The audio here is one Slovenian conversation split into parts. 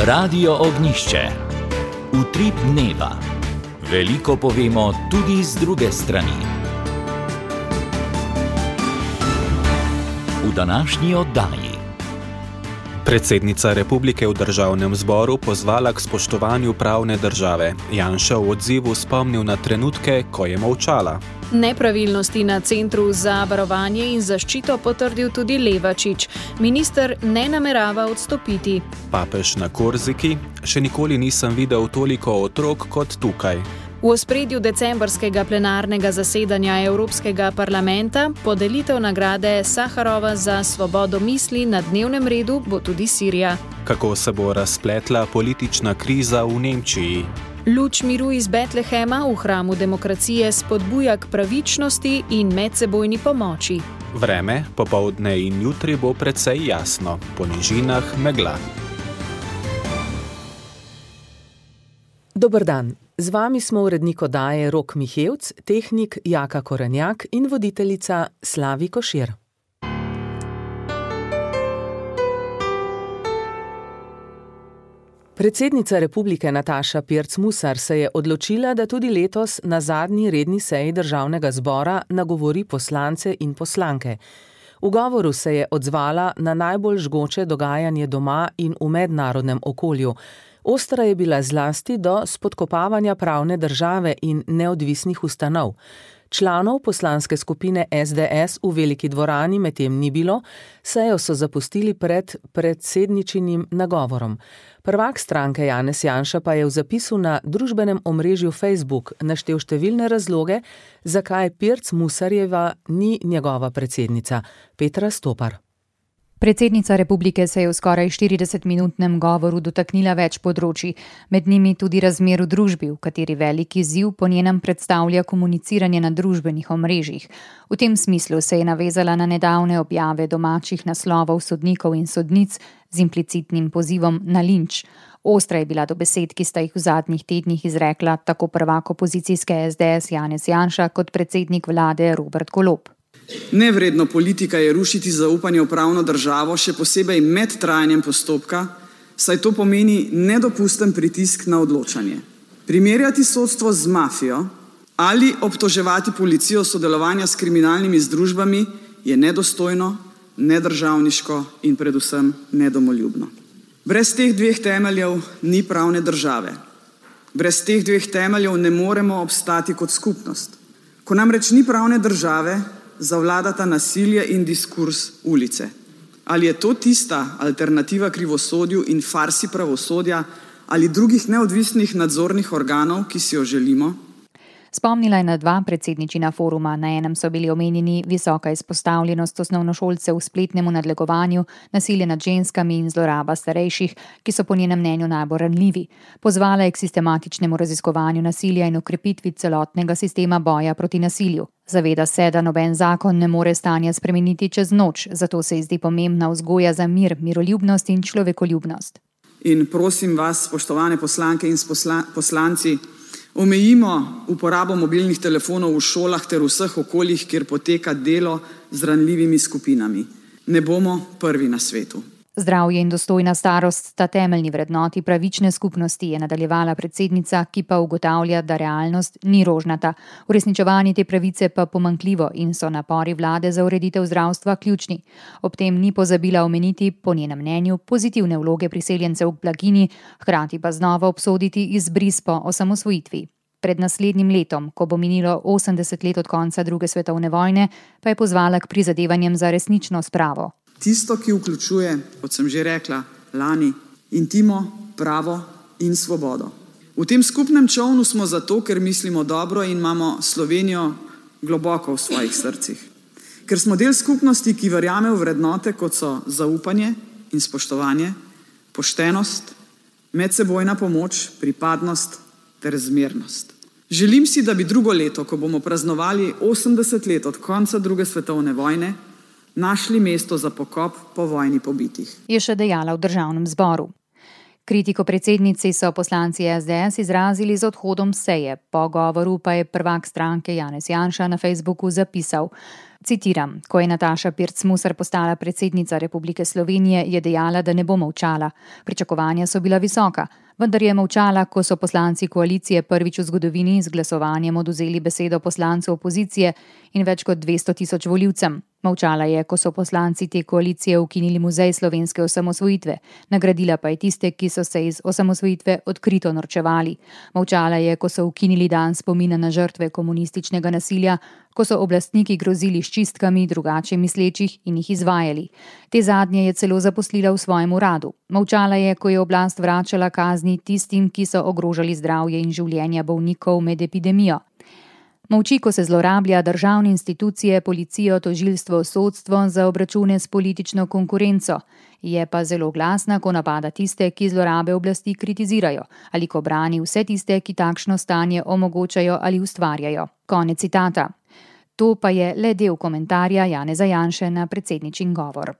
Radio Ognjišče. Utrip dneva. Veliko povemo tudi z druge strani. V današnji oddaji. Predsednica republike v državnem zboru pozvala k spoštovanju pravne države. Janša v odzivu spomnil na trenutke, ko je molčala. Nepravilnosti na Centru za varovanje in zaščito potrdil tudi Levačič. Minister ne namerava odstopiti. Papež na Korziki: še nikoli nisem videl toliko otrok kot tukaj. V ospredju decembrskega plenarnega zasedanja Evropskega parlamenta podelitev nagrade Saharova za svobodo misli na dnevnem redu bo tudi Sirija. Kako se bo razpletla politična kriza v Nemčiji? Luč miru iz Betlehema v hramu demokracije spodbuja k pravičnosti in medsebojni pomoči. Vreme, popoldne in jutri bo precej jasno, po nižinah megla. Dober dan, z vami smo urednik oddaje Rok Mihevc, tehnik Jaka Korenjak in voditeljica Slavi Košir. Predsednica republike Nataša Pirc Musar se je odločila, da tudi letos na zadnji redni seji državnega zbora nagovori poslance in poslanke. V govoru se je odzvala na najbolj žgoče dogajanje doma in v mednarodnem okolju. Ostra je bila zlasti do spodkopavanja pravne države in neodvisnih ustanov. Članov poslanske skupine SDS v veliki dvorani medtem ni bilo, sejo so zapustili pred predsedničinim nagovorom. Prvak stranke Janez Janša pa je v zapisu na družbenem omrežju Facebook naštel številne razloge, zakaj Pirc Musarjeva ni njegova predsednica. Petra Stopar. Predsednica republike se je v skoraj 40-minutnem govoru dotaknila več področij, med njimi tudi razmer v družbi, v kateri velik izziv po njenem predstavlja komuniciranje na družbenih omrežjih. V tem smislu se je navezala na nedavne objave domačih naslovov sodnikov in sodnic z implicitnim pozivom na linč. Ostra je bila do besed, ki sta jih v zadnjih tednih izrekla tako prvak opozicijske SDS Janez Janša kot predsednik vlade Robert Golob. Nevredno politika je rušiti zaupanje v pravno državo, še posebej med trajanjem postopka, saj to pomeni nedopusten pritisk na odločanje. Primerjati sodstvo z mafijo ali obtoževati policijo sodelovanja s kriminalnimi združbami je nedostojno, nedržavniško in predvsem nedomoljubno. Brez teh dveh temeljev ni pravne države. Brez teh dveh temeljev ne moremo obstati kot skupnost. Ko namreč ni pravne države, zavladata nasilje in diskurs ulice. Ali je to tista alternativa krivosodju in farsi pravosodja ali drugih neodvisnih nadzornih organov, ki si jo želimo? Spomnila je na dva predsedničina foruma. Na enem so bili omenjeni visoka izpostavljenost osnovnošolcev spletnemu nadlegovanju, nasilje nad ženskami in zloraba starejših, ki so po njenem mnenju najbolj ranljivi. Pozvala je k sistematičnemu raziskovanju nasilja in okrepitvi celotnega sistema boja proti nasilju. Zaveda se, da noben zakon ne more stanja spremeniti čez noč, zato se ji zdi pomembna vzgoja za mir, miroljubnost in človekoljubnost. In prosim vas, spoštovane poslanke in poslanci, omejimo uporabo mobilnih telefonov v šolah ter vseh okoljih, kjer poteka delo z ranljivimi skupinami. Ne bomo prvi na svetu. Zdravje in dostojna starost sta temeljni vrednoti pravične skupnosti, je nadaljevala predsednica, ki pa ugotavlja, da realnost ni rožnata. Uresničevanje te pravice pa pomanjkljivo in so napori vlade za ureditev zdravstva ključni. Ob tem ni pozabila omeniti, po njenem mnenju, pozitivne vloge priseljencev k blaginji, hkrati pa znova obsoditi izbris po osamosvojitvi. Pred naslednjim letom, ko bo minilo 80 let od konca druge svetovne vojne, pa je pozvala k prizadevanjem za resnično spravo. Tisto, ki vključuje, kot sem že rekla, lani, intimo, pravo in svobodo. V tem skupnem čolnu smo zato, ker mislimo dobro in imamo Slovenijo globoko v svojih srcih. Ker smo del skupnosti, ki verjame v vrednote, kot so zaupanje in spoštovanje, poštenost, medsebojna pomoč, pripadnost ter zmernost. Želim si, da bi drugo leto, ko bomo praznovali 80 let od konca druge svetovne vojne, našli mesto za pokop po vojni pobitih. Je še dejala v državnem zboru. Kritiko predsednici so poslanci SDS izrazili z odhodom seje. Po govoru pa je prvak stranke Janez Janša na Facebooku zapisal, citiram, ko je Nataša Pirc Musar postala predsednica Republike Slovenije, je dejala, da ne bo molčala. Pričakovanja so bila visoka, vendar je molčala, ko so poslanci koalicije prvič v zgodovini z glasovanjem odvzeli besedo poslancu opozicije in več kot 200.000 volivcem. Molčala je, ko so poslanci te koalicije ukinili muzej slovenske osamosvojitve, nagradila pa je tiste, ki so se iz osamosvojitve odkrito norčevali. Molčala je, ko so ukinili dan spomina na žrtve komunističnega nasilja, ko so oblastniki grozili s čistkami drugače mislečih in jih izvajali. Te zadnje je celo zaposlila v svojem uradu. Molčala je, ko je oblast vračala kazni tistim, ki so ogrožali zdravje in življenja bolnikov med epidemijo. Molči, ko se zlorablja državne institucije, policijo, tožilstvo, sodstvo za obračune s politično konkurenco. Je pa zelo glasna, ko napada tiste, ki zlorabe oblasti kritizirajo, ali ko brani vse tiste, ki takšno stanje omogočajo ali ustvarjajo. Konec citata. To pa je le del komentarja Janeza Janše na predsedničin govor.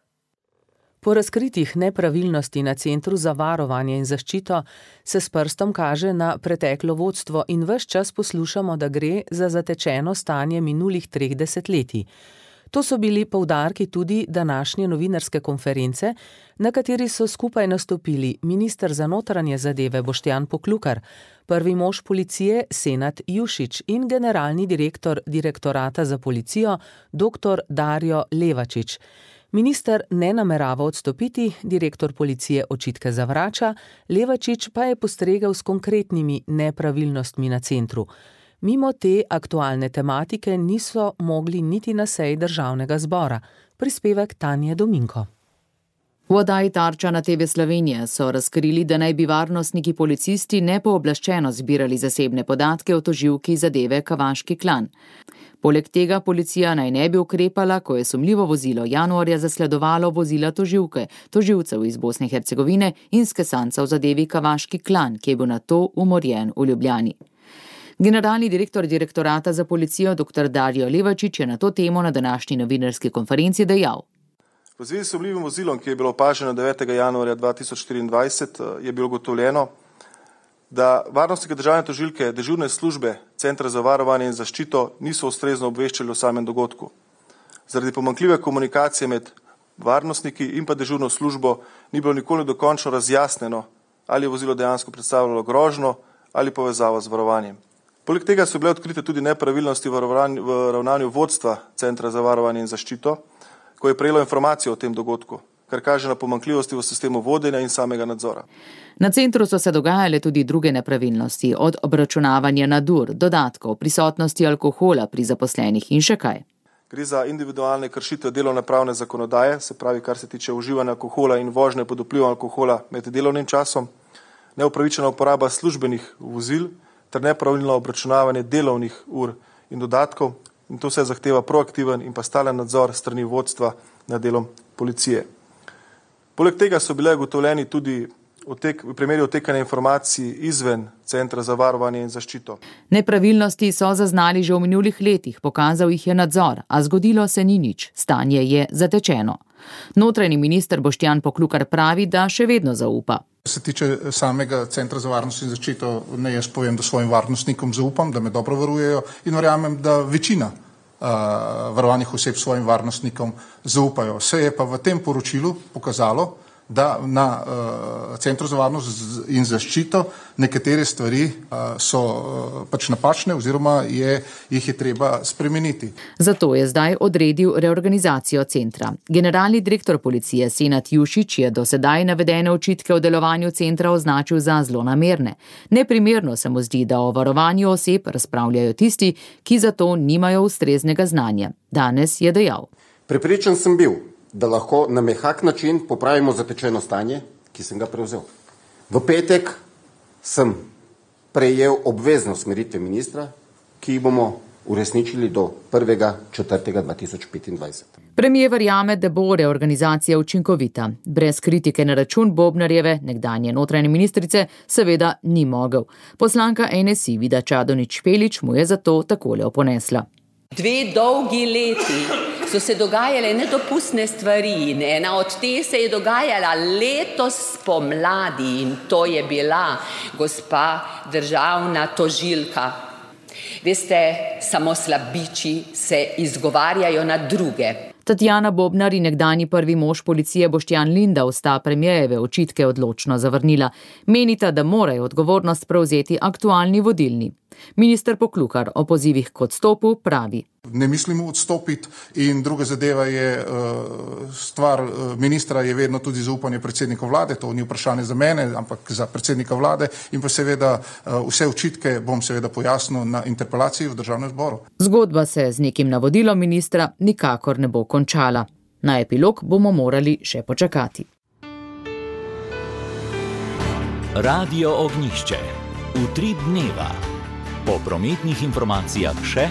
Po razkritih nepravilnosti na Centru za varovanje in zaščito se s prstom kaže na preteklo vodstvo in ves čas poslušamo, da gre za zatečeno stanje minulih 3 desetletij. To so bili poudarki tudi današnje novinarske konference, na kateri so skupaj nastopili minister za notranje zadeve Boštjan Poklukar, prvi mož policije Senad Jušić in generalni direktor Direktorata za policijo dr. Dario Levačič. Minister ne namerava odstopiti, direktor policije očitke zavrača, Levačič pa je postregel s konkretnimi nepravilnostmi na centru. Mimo te aktualne tematike niso mogli niti na seji Državnega zbora. Prispevek Tanje Dominko. V oddaji Tarča na TV Slovenije so razkrili, da naj bi varnostniki policisti nepooblaščeno zbirali zasebne podatke o tožilki zadeve Kavaški klan. Poleg tega policija naj ne bi ukrepala, ko je sumljivo vozilo januarja zasledovalo vozila tožilke, tožilcev iz Bosne in Hercegovine in skesanca v zadevi Kavaški klan, ki je bil nato umorjen v Ljubljani. Generalni direktor Direktorata za policijo dr. Dario Levačič je na to temo na današnji novinarski konferenci dejal. V zvezi s sumljivim vozilom, ki je bilo opaženo 9. januarja 2024, je bilo ugotovljeno, da varnostnike državne tožilke dežurne službe Centra za varovanje in zaščito niso ustrezno obveščali o samem dogodku. Zaradi pomanjkljive komunikacije med varnostniki in pa dežurno službo ni bilo nikoli dokončno razjasneno, ali je vozilo dejansko predstavljalo grožnjo ali povezavo z varovanjem. Poleg tega so bile odkrite tudi nepravilnosti v ravnanju vodstva Centra za varovanje in zaščito, ko je prejelo informacijo o tem dogodku, kar kaže na pomanjkljivosti v sistemu vodenja in samega nadzora. Na centru so se dogajale tudi druge nepravilnosti, od obračunavanja nadur, dodatkov, prisotnosti alkohola pri zaposlenih in še kaj. Gre za individualne kršitve delovnopravne zakonodaje, se pravi, kar se tiče uživanja alkohola in vožnje pod vplivom alkohola med delovnim časom, neupravičena uporaba službenih vozil ter nepravilno obračunavanje delovnih ur in dodatkov, in to se zahteva proaktiven in pa stalen nadzor strani vodstva nad delom policije. Poleg tega so bile ugotovljeni tudi v primeri odtekanja informacij izven Centra za varovanje in zaščito. Nepravilnosti so zaznali že v minulih letih, pokazal jih je nadzor, a zgodilo se ni nič, stanje je zatečeno. Notranji minister Boštjan Poklukar pravi, da še vedno zaupa. Se tiče samega Centra za varnost in zaščito, ne jaz povem, da svojim varnostnikom zaupam, da me dobro varujejo in verjamem, da večina varovanih oseb svojim varnostnikom zaupajo. Se je pa v tem poročilu pokazalo, da na Centru za varnost in zaščito nekatere stvari so pač napačne oziroma jih je treba spremeniti. Zato je zdaj odredil reorganizacijo centra. Generalni direktor policije Senad Jušić je do sedaj navedene očitke o delovanju centra označil za zlonamerne. Neprimerno se mu zdi, da o varovanju oseb razpravljajo tisti, ki za to nimajo ustreznega znanja. Danes je dejal. Prepričan sem bil, da lahko na mehak način popravimo zatečeno stanje, ki sem ga prevzel. V petek sem prejel obvezno usmeritve ministra, ki jih bomo uresničili do 1.4.2025. Premier verjame, da bo reorganizacija učinkovita. Brez kritike na račun Bobnarjeve, nekdanje notranje ministrice, seveda ni mogel. Poslanka NSI Vida Čadonič Špelič mu je zato takole oponesla. 2 dolgi leti so se dogajale nedopustne stvari in ena od te se je dogajala letos spomladi in to je bila gospa državna tožilka. Veste, samo slabiči se izgovarjajo na druge. Tatjana Bobnar in nekdanji prvi mož policije Boštjan Lindav sta premierjeve očitke odločno zavrnila. Menita, da morajo odgovornost prevzeti aktualni vodilni. Minister Poklukar o pozivih k odstopu pravi: Ne mislimo odstopiti in druga zadeva je stvar ministra je vedno tudi zaupanje predsednika vlade, to ni vprašanje za mene, ampak za predsednika vlade in pa seveda vse očitke bom seveda pojasnil na interpelaciji v državnem zboru. Zgodba se z nekim navodilom ministra nikakor ne bo končala. Na epilog bomo morali še počakati. Radio Ognjišče. Utrip dneva. Po prometnih informacijah še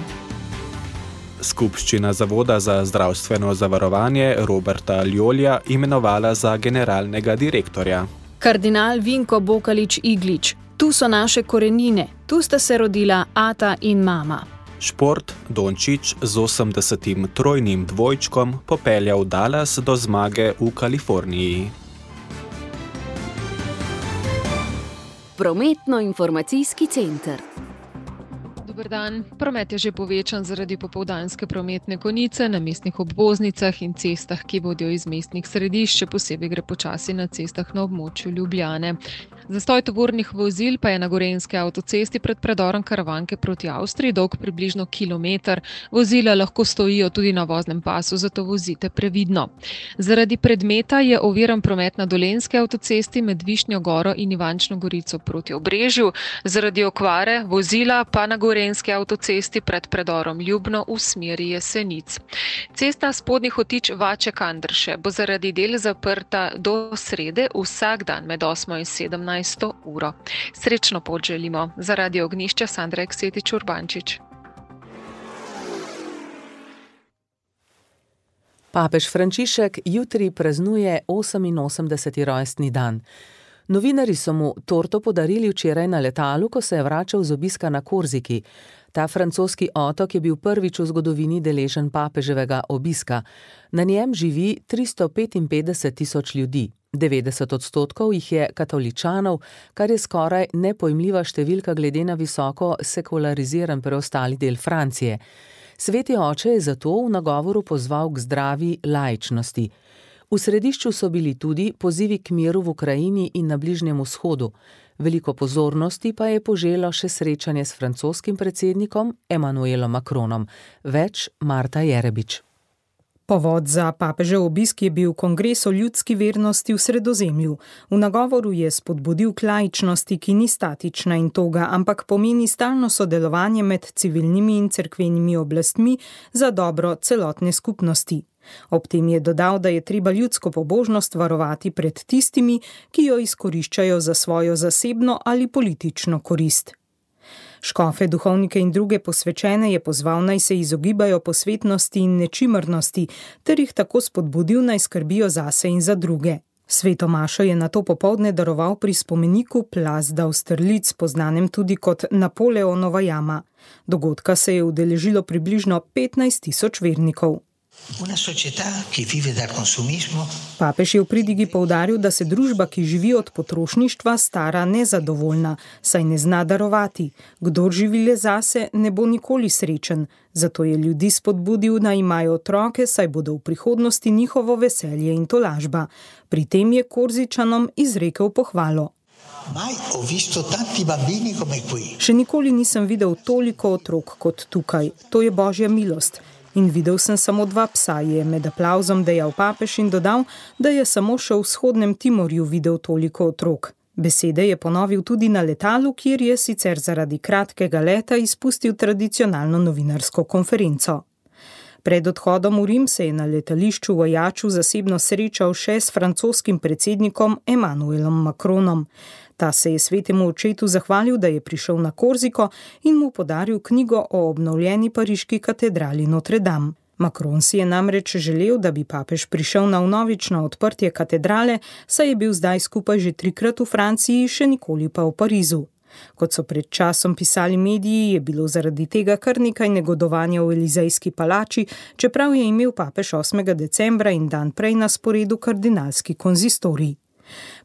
Skupščina Zavoda za zdravstveno zavarovanje Roberta Ljolja imenovala za generalnega direktorja. Kardinal Vinko Bokalič-Iglič. Tu so naše korenine, tu sta se rodila ata in mama. Šport Dončić z 80. trojnim dvojčkom popeljal Dallas do zmage v Kaliforniji. Prometno-informacijski center. Dober dan. Promet je že povečan zaradi popoldanske prometne konice na mestnih obvoznicah in cestah, ki vodijo iz mestnih središč, še posebej gre počasi na cestah na območju Ljubljane. Zastoj tovornih vozil pa je na gorenjski avtocesti pred predorom Karavanke proti Avstriji dolg približno kilometer. Vozila lahko stojijo tudi na voznem pasu, zato vozite previdno. Zaradi predmeta je oviran promet na Dolenjski avtocesti med Višnjo Goro in Ivančno Gorico proti Obrežju. Zaradi okvare vozila pa na gorenjski avtocesti pred predorom Ljubno v smeri Jesenic. Cesta Spodnji Hotič Vače-Kandrše bo zaradi del zaprta do srede vsak dan med 8 in 17 uro. Srečno pot želimo. Za Radio Ognjišče Sandra Eksetič-Urbančič. Papež Frančišek jutri praznuje 88. rojstni dan. Novinarji so mu torto podarili včeraj na letalu, ko se je vračal z obiska na Korziki. Ta francoski otok je bil prvič v zgodovini deležen papeževega obiska. Na njem živi 355.000 ljudi. 90% jih je katoličanov, kar je skoraj nepojmljiva številka glede na visoko sekulariziran preostali del Francije. Sveti oče je zato v nagovoru pozval k zdravi laičnosti. V središču so bili tudi pozivi k miru v Ukrajini in na Bližnjem vzhodu. Veliko pozornosti pa je poželo še srečanje s francoskim predsednikom Emmanuelom Macronom. Več Marta Jerebič. Povod za papežev obisk je bil kongres o ljudski vernosti v Sredozemlju. V nagovoru je spodbudil k laičnosti, ki ni statična in toga, ampak pomeni stalno sodelovanje med civilnimi in cerkvenimi oblastmi za dobro celotne skupnosti. Ob tem je dodal, da je treba ljudsko pobožnost varovati pred tistimi, ki jo izkoriščajo za svojo zasebno ali politično korist. Škofe, duhovnike in druge posvečene je pozval, naj se izogibajo posvetnosti in nečimrnosti, ter jih tako spodbudil, naj skrbijo zase in za druge. Sveto mašo je nato popoldne daroval pri spomeniku Plas d'Austerlitz, poznanem tudi kot Napoleonova jama. Dogodka se je udeležilo približno 15.000 vernikov. Papež je v pridigi poudaril, da se družba, ki živi od potrošništva, stara nezadovoljna, saj ne zna darovati. Kdor živi le zase, ne bo nikoli srečen. Zato je ljudi spodbudil, da imajo otroke, saj bodo v prihodnosti njihovo veselje in tolažba. Pri tem je Korzičanom izrekel pohvalo. Še nikoli nisem videl toliko otrok kot tukaj. To je božja milost. In videl sem samo 2 psa, je med aplavzom dejal papež in dodal, da je samo še v vzhodnem Timorju videl toliko otrok. Besede je ponovil tudi na letalu, kjer je sicer zaradi kratkega leta izpustil tradicionalno novinarsko konferenco. Pred odhodom v Rim se je na letališču v Ajaču zasebno srečal še s francoskim predsednikom Emmanuelom Macronom. Ta se je svetemu očetu zahvalil, da je prišel na Korziko in mu podaril knjigo o obnovljeni pariški katedrali Notre Dame. Macron si je namreč želel, da bi papež prišel na vnovično odprtje katedrale, saj je bil zdaj skupaj že 3-krat v Franciji, še nikoli pa v Parizu. Kot so pred časom pisali mediji, je bilo zaradi tega kar nekaj negodovanja v Elizejski palači, čeprav je imel papež 8. decembra in dan prej na sporedu kardinalski konzistorij.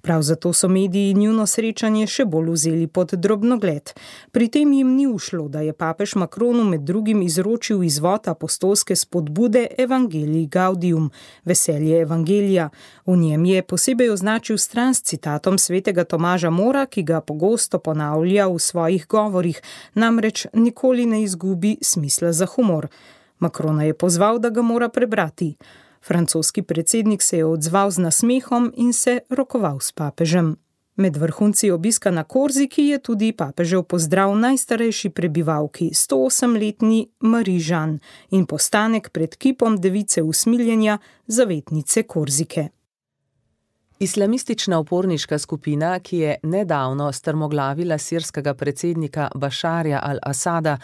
Prav zato so mediji njuno srečanje še bolj vzeli pod drobnogled. Pri tem jim ni ušlo, da je papež Macronu med drugim izročil izvod apostolske spodbude Evangelii Gaudium, veselje evangelija. V njem je posebej označil stran s citatom svetega Tomaža Mora, ki ga pogosto ponavlja v svojih govorih, namreč nikoli ne izgubi smisla za humor. Macrona je pozval, da ga mora prebrati. Francoski predsednik se je odzval z nasmehom in se rokoval s papežem. Med vrhunci obiska na Korziki je tudi papežev pozdrav najstarejši prebivalki, 108-letni Marie Jeanne, in postanek pred kipom device usmiljenja, zavetnice Korzike. Islamistična uporniška skupina, ki je nedavno strmoglavila sirskega predsednika Bašarja al-Asada,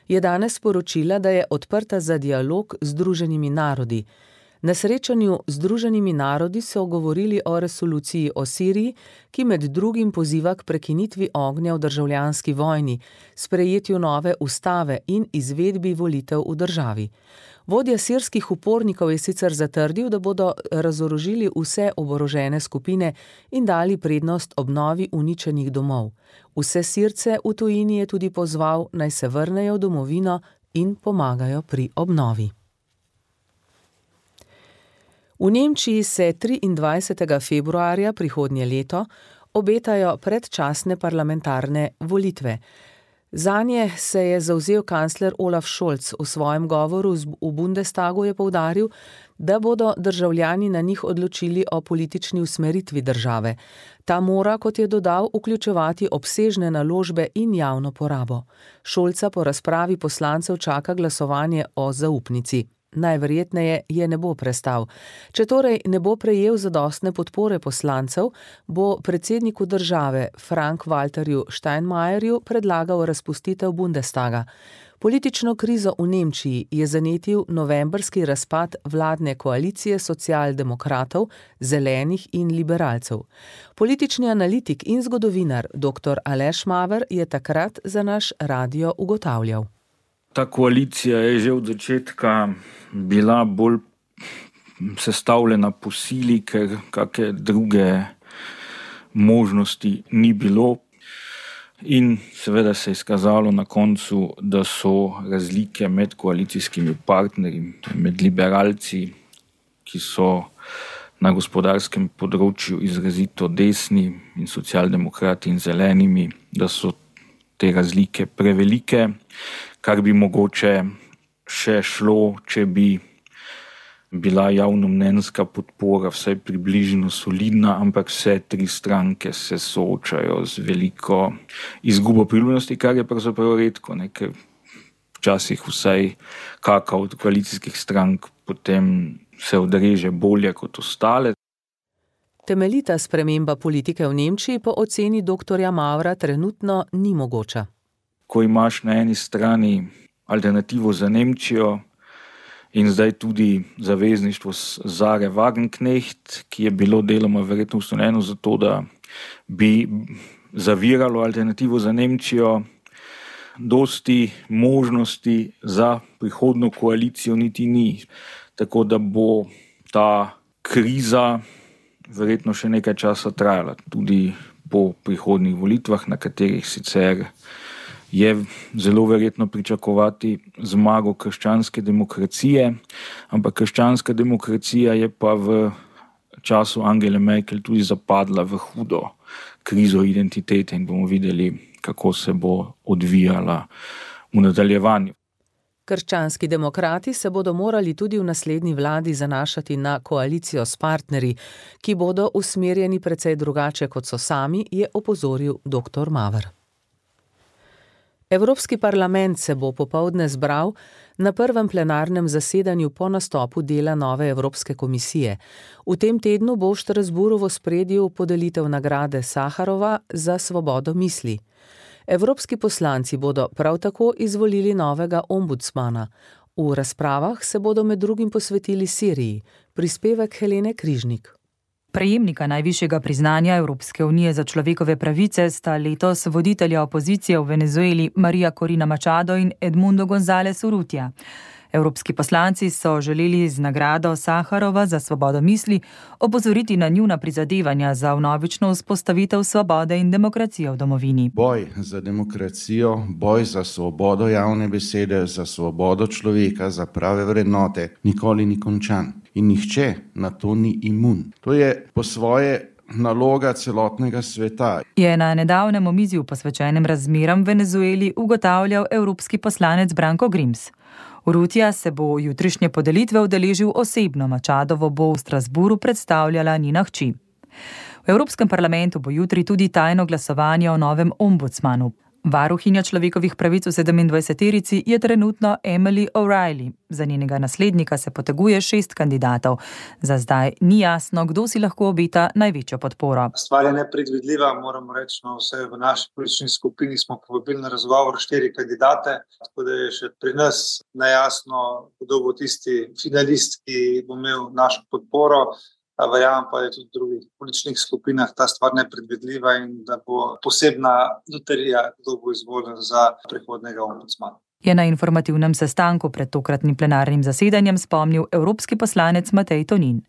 je danes sporočila, da je odprta za dialog z Združenimi narodi. Na srečanju z Združenimi narodi so govorili o resoluciji o Siriji, ki med drugim poziva k prekinitvi ognja v državljanski vojni, sprejetju nove ustave in izvedbi volitev v državi. Vodja sirskih upornikov je sicer zatrdil, da bodo razorožili vse oborožene skupine in dali prednost obnovi uničenih domov. Vse Sirce v tujini je tudi pozval, naj se vrnejo v domovino in pomagajo pri obnovi. V Nemčiji se 23. februarja prihodnje leto obetajo predčasne parlamentarne volitve. Zanje se je zavzel kancler Olaf Scholz. V svojem govoru v Bundestagu je poudaril, da bodo državljani na njih odločili o politični usmeritvi države. Ta mora, kot je dodal, vključevati obsežne naložbe in javno porabo. Scholza po razpravi poslancev čaka glasovanje o zaupnici. Najverjetneje je ne bo prestal. Če torej ne bo prejel zadostne podpore poslancev, bo predsedniku države Frank-Walterju Steinmeierju predlagal razpustitev Bundestaga. Politično krizo v Nemčiji je zanetil novembrski razpad vladne koalicije socialdemokratov, zelenih in liberalcev. Politični analitik in zgodovinar dr. Aleš Maver je takrat za naš radio ugotavljal. Ta koalicija je že od začetka bila bolj sestavljena po sili, ker kakšne druge možnosti ni bilo. In seveda se je izkazalo na koncu, da so razlike med koalicijskimi partnerji, med liberalci, ki so na gospodarskem področju izrazito desni, in socialdemokrati in zelenimi, da so te razlike prevelike, kar bi mogoče še šlo, če bi bila javnomnenjska podpora vsaj približno solidna, ampak vse tri stranke se soočajo z veliko izgubo priljubljenosti, kar je pravzaprav redko, ker včasih vsaj kaka od koalicijskih strank potem se odreže bolje kot ostale. Temeljita sprememba politike v Nemčiji po oceni dr. Mavra trenutno ni mogoča. Ko imaš na eni strani alternativo za Nemčijo in zdaj tudi zavezništvo Sahre Wagenknecht, ki je bilo deloma verjetno ustanovljeno zato, da bi zaviralo alternativo za Nemčijo, dosti možnosti za prihodno koalicijo niti ni. Tako da bo ta kriza verjetno še nekaj časa trajala, tudi po prihodnjih volitvah, na katerih sicer je zelo verjetno pričakovati zmago krščanske demokracije, ampak krščanska demokracija je pa v času Angele Merkel tudi zapadla v hudo krizo identitete in bomo videli, kako se bo odvijala v nadaljevanju. Krščanski demokrati se bodo morali tudi v naslednji vladi zanašati na koalicijo s partnerji, ki bodo usmerjeni precej drugače, kot so sami, je opozoril dr. Maver. Evropski parlament se bo popoldne zbral na prvem plenarnem zasedanju po nastopu dela nove Evropske komisije. V tem tednu bo v Strasbourgu v ospredju podelitev nagrade Saharova za svobodo misli. Evropski poslanci bodo prav tako izvolili novega ombudsmana. V razpravah se bodo med drugim posvetili Siriji. Prispevek Helene Križnik. Prejemnika najvišjega priznanja Evropske unije za človekove pravice sta letos voditelja opozicije v Venezueli Maria Corina Machado in Edmundo González Urrutia. Evropski poslanci so želeli z nagrado Saharova za svobodo misli opozoriti na njuna prizadevanja za vnovično vzpostavitev svobode in demokracije v domovini. Boj za demokracijo, boj za svobodo javne besede, za svobodo človeka, za prave vrednote nikoli ni končan. In nihče na to ni imun. To je po svoje naloga celotnega sveta. Je na nedavnem omizju posvečenem razmeram v Venezueli ugotavljal evropski poslanec Branko Grims. Urrutia se bo jutrišnje podelitve udeležil osebno, Machadovo bo v Strasburu predstavljala njena hči. V Evropskem parlamentu bo jutri tudi tajno glasovanje o novem ombudsmanu. Varuhinja človekovih pravic v 27-terici je trenutno Emily O'Reilly. Za njenega naslednika se poteguje 6 kandidatov. Za zdaj ni jasno, kdo si lahko obeta največjo podporo. Stvar je nepredvidljiva, moramo reči, vse v naši politični skupini smo povabili na razgovor 4 kandidate, tako da je še pri nas nejasno, kdo bo tisti finalist, ki bo imel našo podporo. Verjamem pa je tudi v drugih političnih skupinah ta stvar nepredvidljiva in da bo posebna loterija, kdo bo izvoljen za prihodnjega ombudsmana. Je na informativnem sestanku pred tokratnim plenarnim zasedanjem spomnil evropski poslanec Matej Tonin.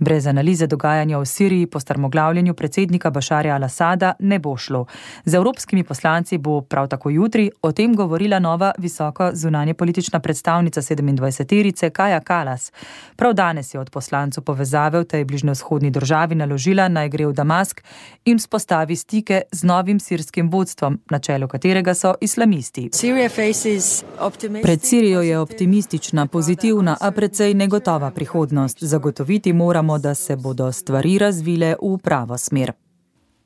Brez analize dogajanja v Siriji po strmoglavljenju predsednika Bašarja al-Asada ne bo šlo. Z evropskimi poslanci bo prav tako jutri o tem govorila nova visoko zunanje politična predstavnica 27-terice Kaja Kallas. Prav danes je od poslancev povezave v tej bližnjevzhodni državi naložila, naj gre v Damask in vzpostavi stike z novim sirskim vodstvom, na čelu katerega so islamisti. Pred Sirijo je optimistična, pozitivna, a precej negotova prihodnost. Zagotoviti moramo, da se bodo stvari razvile v pravo smer.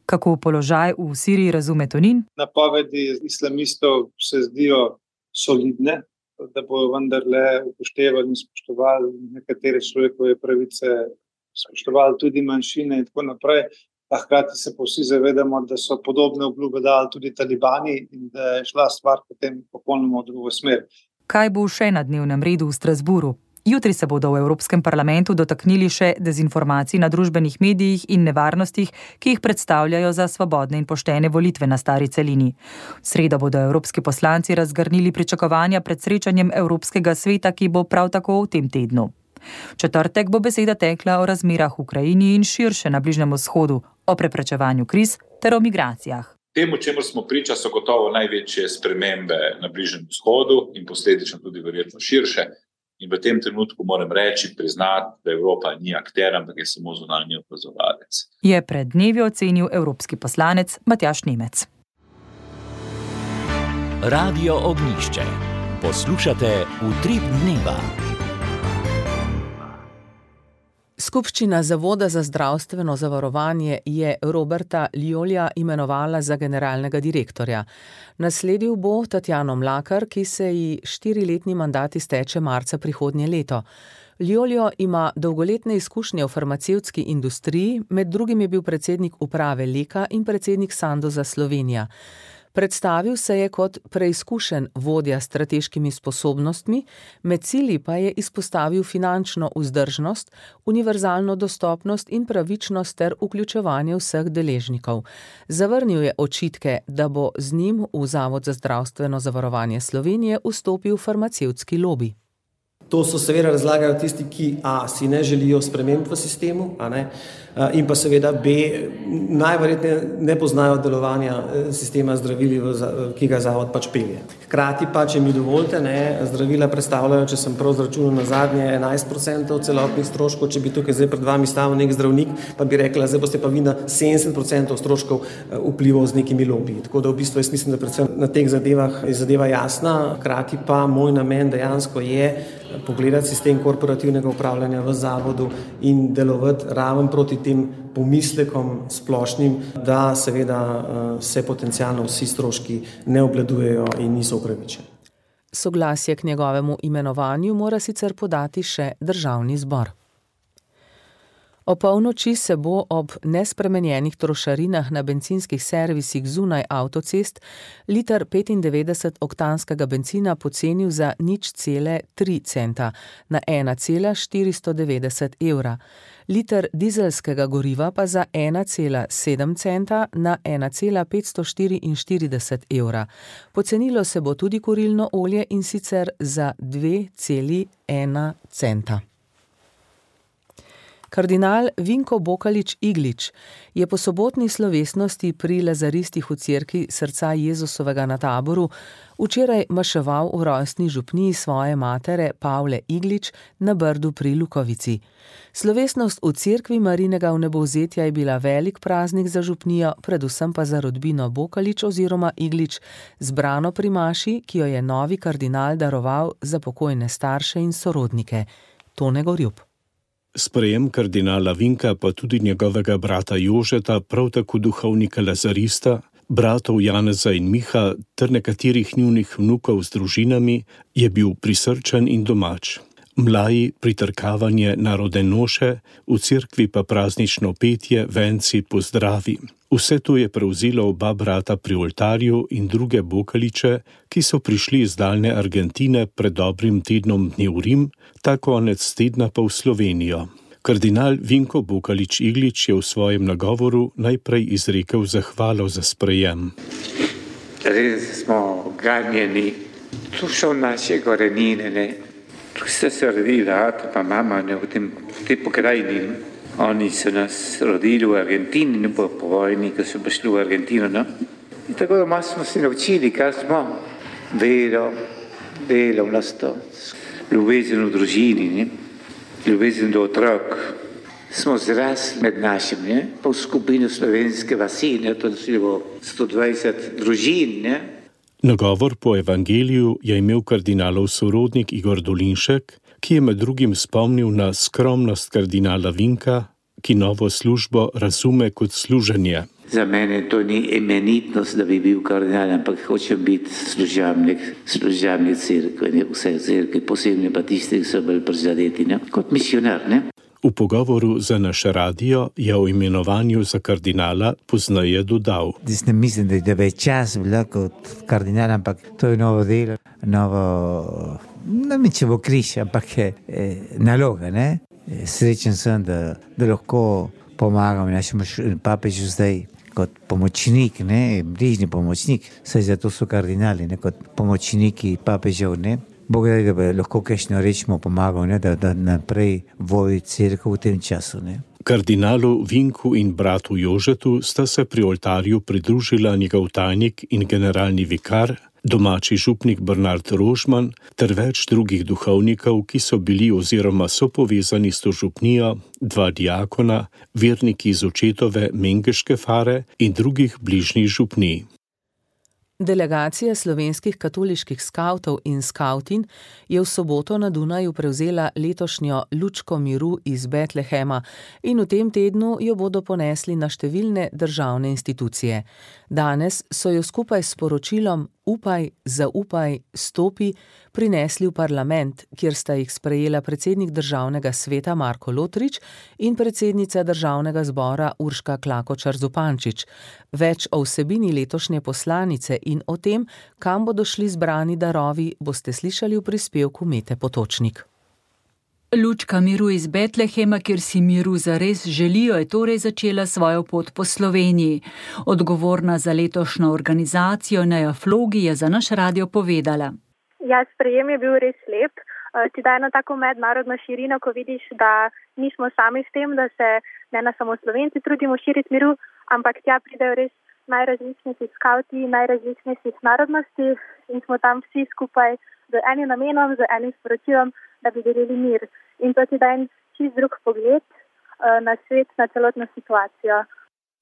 Kako položaj v Siriji razume Tonin? Napovedi islamistov se zdijo solidne, da bodo vendarle upoštevali in spoštovali nekatere človekove pravice, spoštovali tudi manjšine in tako naprej. A hkrati se pa vsi zavedamo, da so podobne obljube dali tudi talibani in da je šla stvar potem popolnoma v drugo smer. Kaj bo še na dnevnem redu v Strasburu? Jutri se bodo v Evropskem parlamentu dotaknili še dezinformacij na družbenih medijih in nevarnostih, ki jih predstavljajo za svobodne in poštene volitve na stari celini. V sredo bodo evropski poslanci razgrnili pričakovanja pred srečanjem Evropskega sveta, ki bo prav tako v tem tednu. V četrtek bo beseda tekla o razmerah v Ukrajini in širše na Bližnjem vzhodu, o preprečevanju kriz ter o migracijah. Temu, čemu smo priča, so gotovo največje spremembe na Bližnjem vzhodu in posledično tudi verjetno širše. In v tem trenutku moram reči, priznati, da Evropa ni akter, ampak je samo zunanji opazovalec. Je pred dnevi ocenil evropski poslanec Matjaž Nemec. Radio Ognjišče. Poslušate Utrip dneva. Skupščina Zavoda za zdravstveno zavarovanje je Roberta Liolja imenovala za generalnega direktorja. Nasledil bo Tatjano Mlakar, ki se ji 4-letni mandat izteče marca prihodnje leto. Lioljo ima dolgoletne izkušnje v farmacevtski industriji, med drugim je bil predsednik uprave Leka in predsednik Sandoza Slovenija. Predstavil se je kot preizkušen vodja s strateškimi sposobnostmi, med cilji pa je izpostavil finančno vzdržnost, univerzalno dostopnost in pravičnost ter vključevanje vseh deležnikov. Zavrnil je očitke, da bo z njim v Zavod za zdravstveno zavarovanje Slovenije vstopil farmacevtski lobi. To so seveda razlagajo tisti, ki A, si ne želijo sprememb v sistemu, in pa seveda B, najverjetneje ne poznajo delovanja sistema zdravili, ki ga zavod pač pelje. Hkrati pa, če mi dovolite, zdravila predstavljajo, če sem prav zračunal na zadnje, 11% celotnih stroškov, če bi tukaj zdaj pred vami stavil nek zdravnik, pa bi rekla, zdaj boste pa vi na 70% stroškov vplival z nekimi lobiji. Tako da v bistvu jaz mislim, da predvsem na teh zadevah je zadeva jasna, hkrati pa moj namen dejansko je pogledati sistem korporativnega upravljanja v zavodu in delovati raven proti tem pomislekom splošnim, da seveda se potencialno vsi stroški ne obvladujejo in niso upravičeni. Soglasje k njegovemu imenovanju mora sicer podati še Državni zbor. O polnoči se bo ob nespremenjenih trošarinah na bencinskih servisih zunaj avtocest liter 95-oktanskega bencina pocenil za 0,3 centa na 1,490 evra, liter dizelskega goriva pa za 1,7 centa na 1,544 evra. Pocenilo se bo tudi kurilno olje, in sicer za 2,1 centa. Kardinal Vinko Bokalič Iglič je po sobotni slovesnosti pri lazaristih v cerkvi Srca Jezusovega na Taboru včeraj maševal v rojstni župniji svoje matere Pavle Iglič na Brdu pri Lukovici. Slovesnost v cerkvi Marijinega vnebovzetja je bila velik praznik za župnijo, predvsem pa za rodbino Bokalič oziroma Iglič, zbrano pri maši, ki jo je novi kardinal daroval za pokojne starše in sorodnike. Tone Gorjup. Sprejem kardinala Vinka pa tudi njegovega brata Jožeta, prav tako duhovnika lazarista, bratov Janeza in Miha ter nekaterih njunih vnukov z družinami je bil prisrčen in domač. Mlaji, pritrkavanje narodne noše, v cerkvi pa praznično petje, venci, pozdravi. Vse to je prevzelo oba brata pri oltarju in druge Bokaliče, ki so prišli iz daljne Argentine pred dobrim tednom dni v Rim, ta konec tedna pa v Slovenijo. Kardinal Vinko Bokalič Iglič je v svojem nagovoru najprej izrekel zahvalo za sprejem. Res smo ganjeni, tu so naše korenine, ne? Tu ste se rodili, ata pa mama, ne, v tej pokrajini. Oni so nas rodili v Argentini, ne po vojni, ko so prišli v Argentino, no? In tako doma smo se naučili, kaj smo. Delo v nas to. Ljubezen v družini, ne? Ljubezen do otrok. Smo zrasli med našim, ne? Pa v skupini slovenske vasi, ne? To je bilo 120 družin, ne? Nagovor po evangeliju je imel kardinalov sorodnik Igor Dolinšek, ki je med drugim spomnil na skromnost kardinala Vinka, ki novo službo razume kot služenje. Za mene to ni imenitnost, da bi bil kardinal, ampak hočem biti služabnik cerkve, ne? Vse cerkve, posebno pa tisti, ki so bolj prizadeti, ne? Kot misionar, ne? V pogovoru za naš radio je o imenovanju za kardinala pozneje dodal. Jaz ne mislim, da je več čas bila kot kardinal, ampak to je novo delo, ne mi če bo križ, ampak je naloga, ne? Srečen sem, da lahko pomagam našemu papežu zdaj kot pomočnik, ne? Bližnji pomočnik, saj zato so kardinali, ne? Kot pomočniki papežev, ne? Bog da bi lahko kakšno rečemo pomagal, ne, da naprej vodi cerkev v tem času. Ne. Kardinalu Vinku in bratu Jožetu sta se pri oltarju pridružila njegov tajnik in generalni vikar, domači župnik Bernard Rožman ter več drugih duhovnikov, ki so bili oziroma so povezani s to župnijo, 2 diakona, verniki iz očetove Mengeške fare in drugih bližnjih župnij. Delegacija slovenskih katoliških skavtov in skavtin je v soboto na Dunaju prevzela letošnjo lučko miru iz Betlehema in v tem tednu jo bodo ponesli na številne državne institucije. Danes so jo skupaj s sporočilom Upaj, zaupaj, stopi prinesli v parlament, kjer sta jih sprejela predsednik državnega sveta Marko Lotrič in predsednica državnega zbora Urška Klakočar Zupančič. Več o vsebini letošnje poslanice in o tem, kam bodo šli zbrani darovi, boste slišali v prispevku Mete Potočnik. Lučka miru iz Betlehema, kjer si miru zares želijo, je torej začela svojo pot po Sloveniji. Odgovorna za letošnjo organizacijo Neja Flogi je za naš radio povedala. Ja, sprejem je bil res lep. Ti daje eno tako mednarodno širino, ko vidiš, da nismo sami s tem, da se ne samo Slovenci trudimo širiti miru, ampak tja pridejo res najrazličnejši skavti, najrazličnejših narodnosti in smo tam vsi skupaj z enim namenom, z enim sporočilom, da bi delili mir. In to ti da en čist drug pogled na svet, na celotno situacijo.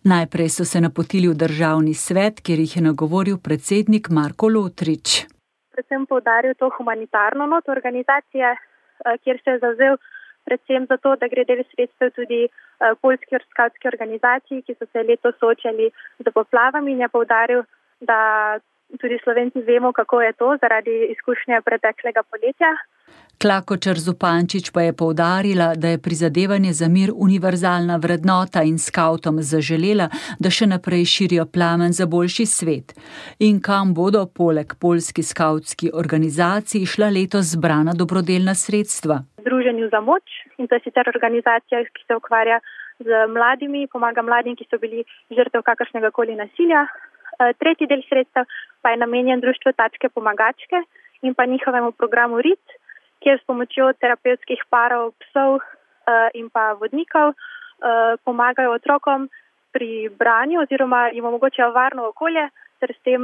Najprej so se napotili v državni svet, kjer jih je nagovoril predsednik Marko Lotrič. Predvsem poudaril to humanitarno not organizacije, kjer se je zavzel predvsem za to, da gre del sredstev tudi poljski skavtski organizaciji, ki so se letos soočali z poplavami in je poudaril, da tudi Slovenci vemo, kako je to zaradi izkušnje preteklega poletja. Klakočar Zupančič pa je poudarila, da je prizadevanje za mir univerzalna vrednota in skavtom zaželela, da še naprej širijo plamen za boljši svet. In kam bodo poleg poljski skavtski organizaciji šla letos zbrana dobrodelna sredstva? Združenju za moč, in to je sicer organizacija, ki se ukvarja z mladimi, pomaga mladim, ki so bili žrtev kakršnega koli nasilja. Tretji del sredstev pa je namenjen društvu Tačke pomagačke in pa njihovemu programu RIT, kjer s pomočjo terapevtskih parov, psov in pa vodnikov pomagajo otrokom pri branju oziroma jim omogočajo varno okolje, ter s tem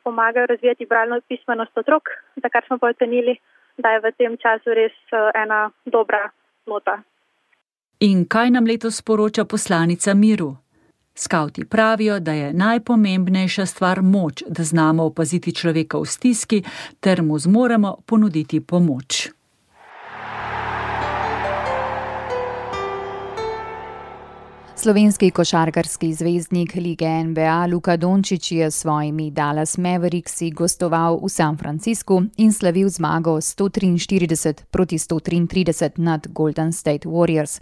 pomagajo razvijati bralno pismenost otrok, za kar smo pa ocenili, da je v tem času res ena dobra nota. In kaj nam letos sporoča poslanica miru? Skavti pravijo, da je najpomembnejša stvar moč, da znamo opaziti človeka v stiski ter mu zmoremo ponuditi pomoč. Slovenski košarkarski zvezdnik lige NBA Luka Dončić je s svojimi Dallas Mavericksi gostoval v San Franciscu in slavil zmago 143 proti 133 nad Golden State Warriors.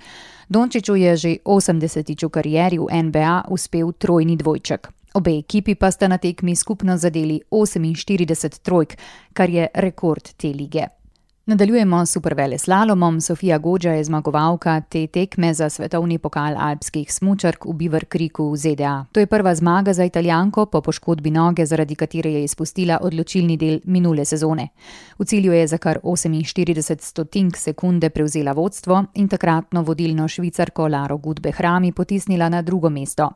Dončiću je že 80. v karieri v NBA uspel trojni dvojček. Obe ekipi pa sta na tekmi skupno zadeli 48 trojk, kar je rekord te lige. Nadaljujemo s superveleslalomom. Sofia Godža je zmagovalka te tekme za svetovni pokal alpskih smučark v Beaver Creeku v ZDA. To je prva zmaga za Italijanko po poškodbi noge, zaradi katere je izpustila odločilni del minule sezone. V cilju je za kar 48 stotink sekunde prevzela vodstvo in takratno vodilno Švicarko Laro Gut-Behrami potisnila na drugo mesto.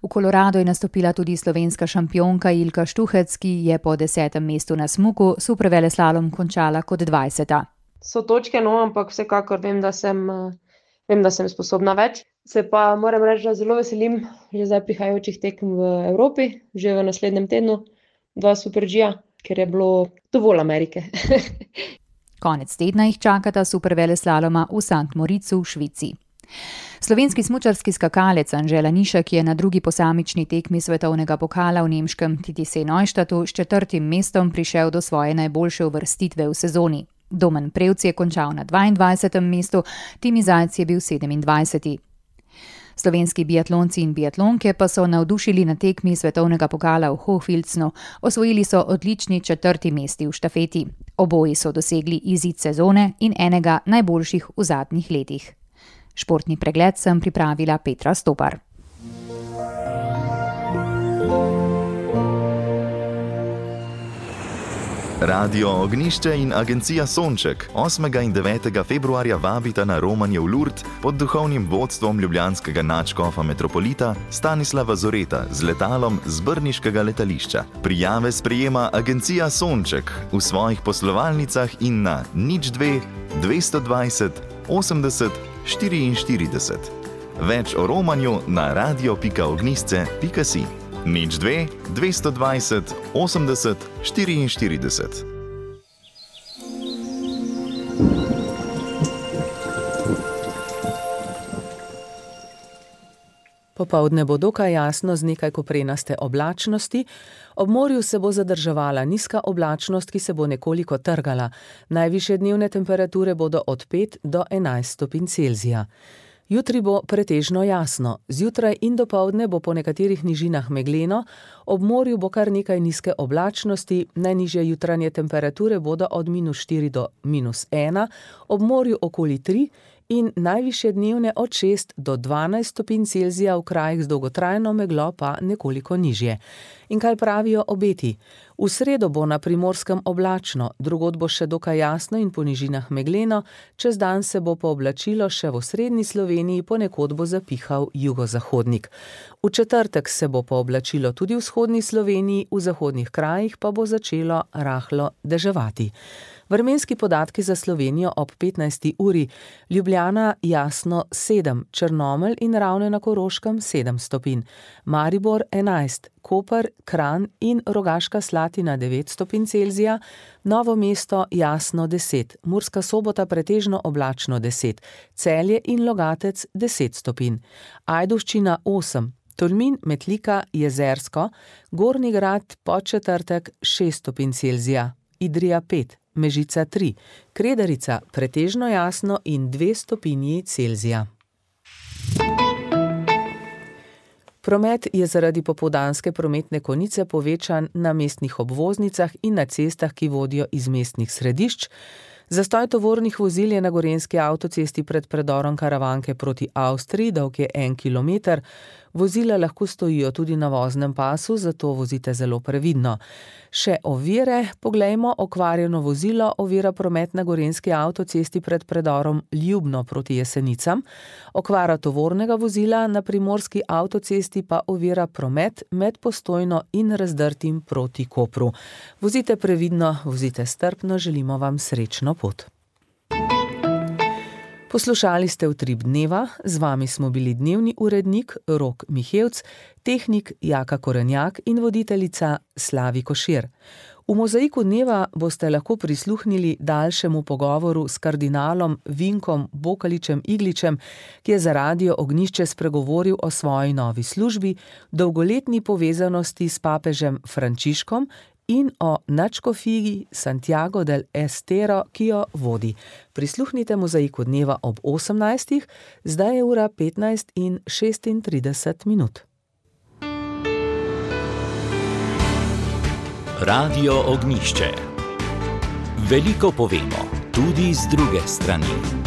V Koloradu je nastopila tudi slovenska šampionka Ilka Štuhec, ki je po 10. mestu na smuku superveleslalom končala kot 20. So točke, no, ampak vsekakor vem, da sem sposobna več. Se pa moram reči, da zelo veselim že zdaj prihajajočih tekem v Evropi, že v naslednjem tednu, 2 Super G-ja, ker je bilo dovolj Amerike. Konec tedna jih čakata superveleslaloma v St. Moricu v Švici. Slovenski smučarski skakalec Anžela Nišek je na drugi posamični tekmi svetovnega pokala v nemškem TTC Neustadtu s 4. mestom prišel do svoje najboljše uvrstitve v sezoni. Domen Prevc je končal na 22. mestu, Timi Zajc je bil 27. Slovenski biatlonci in biatlonke pa so navdušili na tekmi svetovnega pokala v Hochfilzenu. Osvojili so odlični 4. mesti v štafeti. Oboji so dosegli izid sezone in enega najboljših v zadnjih letih. Športni pregled sem pripravila Petra Stopar. Radio Ognjišče in agencija Sonček 8. in 9. februarja vabita na romanje v Lourdes pod duhovnim vodstvom ljubljanskega nadškofa metropolita Stanislava Zoreta z letalom z brniškega letališča. Prijave sprejema agencija Sonček v svojih poslovalnicah in na 02 220 80 44. Več o romanju na radio.ognjišče.si. 02 220 80 44. Popoldne bo dokaj jasno z nekaj koprenaste oblačnosti. Ob morju se bo zadrževala nizka oblačnost, ki se bo nekoliko trgala. Najvišje dnevne temperature bodo od 5 do 11 stopinj Celzija. Jutri bo pretežno jasno. Zjutraj in dopoldne bo po nekaterih nižinah megleno, ob morju bo kar nekaj nizke oblačnosti, najnižje jutranje temperature bodo od -4 do -1, ob morju okoli 3 in najvišje dnevne od 6 do 12 stopinj Celzija, v krajih z dolgotrajno meglo pa nekoliko nižje. In kaj pravijo obeti? V sredo bo na Primorskem oblačno, drugod bo še dokaj jasno in po nižinah megleno, čez dan se bo pooblačilo še v osrednji Sloveniji, ponekod bo zapihal jugozahodnik. V četrtek se bo pooblačilo tudi v vzhodni Sloveniji, v zahodnih krajih pa bo začelo rahlo deževati. Vremenski podatki za Slovenijo ob 15. uri. Ljubljana jasno 7, Črnomelj in Ravne na Koroškem 7 stopinj, Maribor 11, Koper, Kranj in Rogaška Slatina 9 stopinj Celzija, Novo mesto jasno 10, Murska Sobota pretežno oblačno 10, Celje in Logatec 10 stopinj, Ajdovščina 8, Tolmin, Metlika, Jezersko, Gornji Grad, Podčetrtek 6 stopinj Celzija, Idrija 5, Mežica 3, Kredarica pretežno jasno in 2 stopinji Celzija. Promet je zaradi popoldanske prometne konice povečan na mestnih obvoznicah in na cestah, ki vodijo iz mestnih središč. Zastoj tovornih vozil je na gorenjski avtocesti pred predorom Karavanke proti Avstriji, dolg je 1 kilometer. Vozila lahko stojijo tudi na voznem pasu, zato vozite zelo previdno. Še ovire, poglejmo, okvarjeno vozilo ovira promet na gorenjski avtocesti pred predorom Ljubno proti Jesenicam, okvara tovornega vozila na primorski avtocesti pa ovira promet med Postojno in Razdrtim proti Kopru. Vozite previdno, vozite strpno, želimo vam srečno pot. Poslušali ste Utrip dneva, z vami smo bili dnevni urednik Rok Mihevc, tehnik Jaka Korenjak in voditeljica Slavi Košir. V Mozaiku dneva boste lahko prisluhnili daljšemu pogovoru s kardinalom Vinkom Bokaličem-Igličem, ki je za Radio Ognjišče spregovoril o svoji novi službi, dolgoletni povezanosti s papežem Frančiškom in o nadškofiji Santiago del Estero, ki jo vodi. Prisluhnite Mozaiku dneva ob 18. Zdaj je ura 15:36. Radio Ognjišče. Veliko povemo, tudi z druge strani.